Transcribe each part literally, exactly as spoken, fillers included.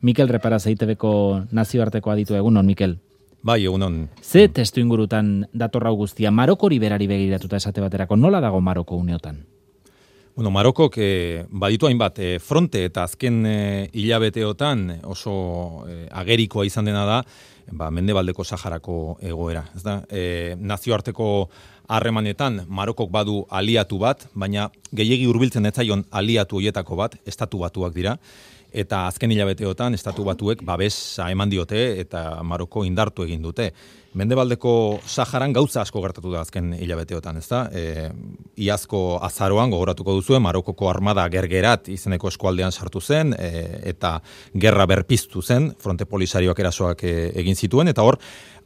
Mikel Reparaz E I Te Beko nazioarteko aditu egunon, Mikel. Bai, egunon. Ze testu ingurutan datorra guztia, Marokori berari begiratuta esate baterako, nola dago Maroko uneotan? Bueno, Marokok eh, baditu hainbat eh, fronte eta azken eh, hilabeteotan oso eh, agerikoa izan dena da, ba, Mendebaldeko Saharako egoera. Ez da, eh, nazioarteko harremanetan Marokok badu aliatu bat, baina gehiegi hurbiltzen ez zaion aliatu hoietako bat, Estatu Batuak dira, eta azken hilabeteotan Estatu Batuek babesa eman diote eta Maroko indartu egin dute. Mendebaldeko Saharan gauza asko gertatu da azken hilabeteotan, ezta? E, iazko azaroan gogoratuko duzue, Marokoko armada gergerat izeneko eskualdean sartu zen, e, eta gerra berpiztu zen, fronte polisarioak erasoak e, egin zituen, eta hor,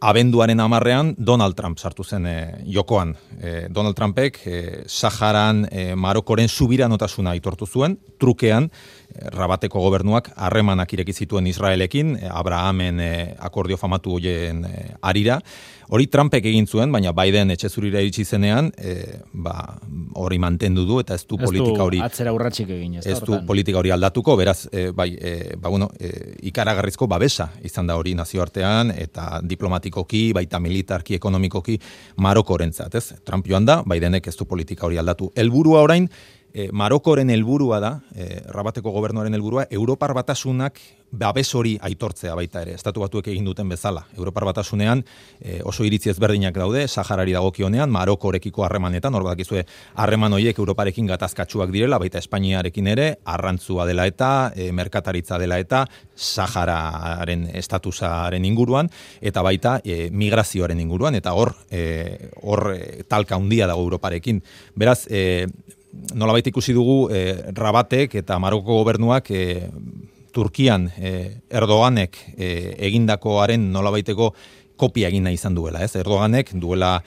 abenduaren hamarrean Donald Trump sartu zen e, jokoan. E, Donald Trumpek e, Saharan e, Marokoren subiranotasuna aitortu zuen, trukean, e, Rabateko gobernuak harremanak ireki zituen Israelekin, e, Abrahamen e, akordio famatu hoien e, arira. Hori Trumpek egin zuen, baina Biden etxe zurira iritsi zenean, e, ba, hori mantendu du, eta ez du politika hori... Ez du atzera urratsik egin, ez da Ez du politika hori aldatuko, beraz, e, bai, e, ba, bueno, e, ikaragarrizko babesa izan da hori nazioartean, eta diplomatikoki, baita militarki, ekonomikoki, Marokorentzat, ez? Trump joan da, Bidenek ez du politika hori aldatu. Helburua orain, E, Marokoren helburua da, e, Rabateko gobernuaren helburua, Europar Batasunak babes hori aitortzea baita ere, Estatu Batuek egin duten bezala. Europar Batasunean e, oso iritzi ezberdinak daude, Saharari dagokionean, Marokorekiko harremanetan, hor badakizue harreman horiek Europarekin gatazkatsuak direla, baita Espainiarekin ere, arrantzua dela eta, e, merkataritza dela eta, Sahararen estatusaren inguruan, eta baita e, migrazioaren inguruan, eta hor, e, hor e, talka handia dago Europarekin. Beraz, e, nolabait ikusi dugu eh, Rabatek eta Maroko gobernuak eh, Turkian eh, Erdoganek eh, egindakoaren nolabaiteko kopia egin nahi izan duela, ez? Erdoganek duela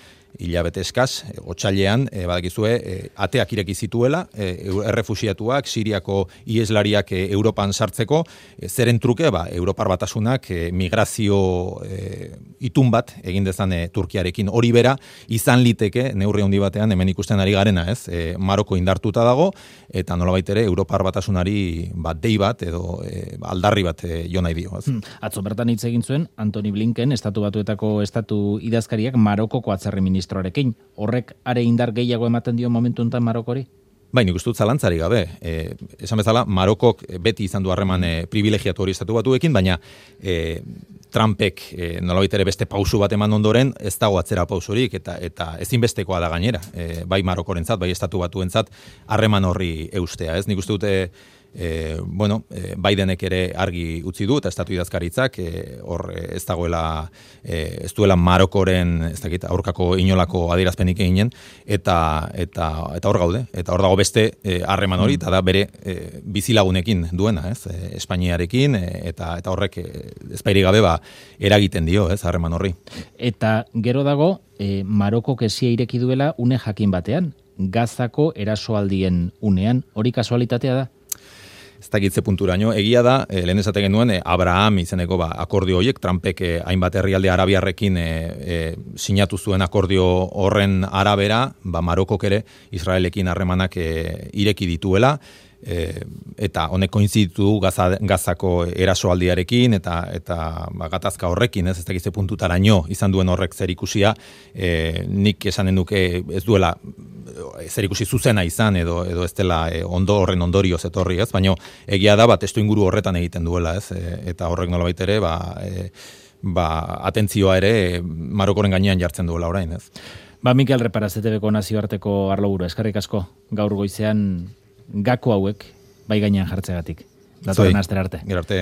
hilabete eskaz, e, otsailean, e, badakizue, e, ateak ireki zituela, e, errefuxiatuak, Siriako ieslariak e, Europan sartzeko, e, zeren truke, ba, Europar Batasunak e, migrazio e, itun bat egin dezan e, Turkiarekin. Hori bera, izan liteke, neurri handi batean, hemen ikusten ari garena, ez? E, Maroko indartuta dago, eta nolabait ere, Europar Batasunari bat dei bat, edo e, aldarri bat e, jo nahi dio. Ez? Hmm. Atzo bertan hitz egin zuen, Antony Blinken, Estatu Batuetako estatu idazkariak Marokoko atzerri ministroarekin. Horrek are indar gehiago ematen dio momentu honetan Marokori? Bai, nik uste dut zalantzari gabe. E, esan bezala, Marokok beti izan du harreman e, privilegiatu hori Estatu Batuekin, baina e, Trumpek e, nolabait ere beste pausu bat eman ondoren, ez dago atzera pausurik, eta eta ezinbestekoa da gainera. E, bai Marokorentzat, bai Estatu Batuentzat harreman horri eustea, ez? Nik uste dute E, bueno, e, Bidenek ere argi utzi du, eta estatu idazkaritzak, e, hor e, ez dagoela, e, ez duela Marokoren, ez dakit, aurkako inolako adierazpenik eginen, eta eta eta hor gaude, eta hor dago beste harreman e, hori, eta da bere e, bizilagunekin duena, ez, e, Espainiarekin, e, eta eta horrek e, ezpairi gabe ba eragiten dio, ez, harreman horri. Eta gero dago, e, Maroko kesia ireki duela une jakin batean, Gazako erasoaldien unean, hori kasualitatea da? Ez dakitze punturaino, egia da, e, lehen esaten genuen, e, Abraham izeneko ba, akordio horiek, Trumpek e, hainbat herrialde arabiarrekin e, e, sinatu zuen akordio horren arabera, ba, Marokok ere Israelekin harremanak e, ireki dituela, e, eta honek koinziditu du Gaza, Gazako erasoaldiarekin eta eta ba, gatazka horrekin, ez, ez dakitze puntutaraino izan duen horrek zer ikusia, e, nik esanen duke ez duela zer ikusi zuzena izan edo edo ez dela e, ondo horren ondorioz etorri, ez? Baina egia da bat testu inguru horretan egiten duela, ez? E, eta horrek nolabait ere, ba, e, ba atentzioa ere e, Marokoren gainean jartzen duela orain, ez? Ba, Mikel Reparaz, E Te Beko nazioarteko arloburu, eskerrik asko gaur goizean gako hauek bai gainean jartzegatik. Datorren astera arte. Gero arte.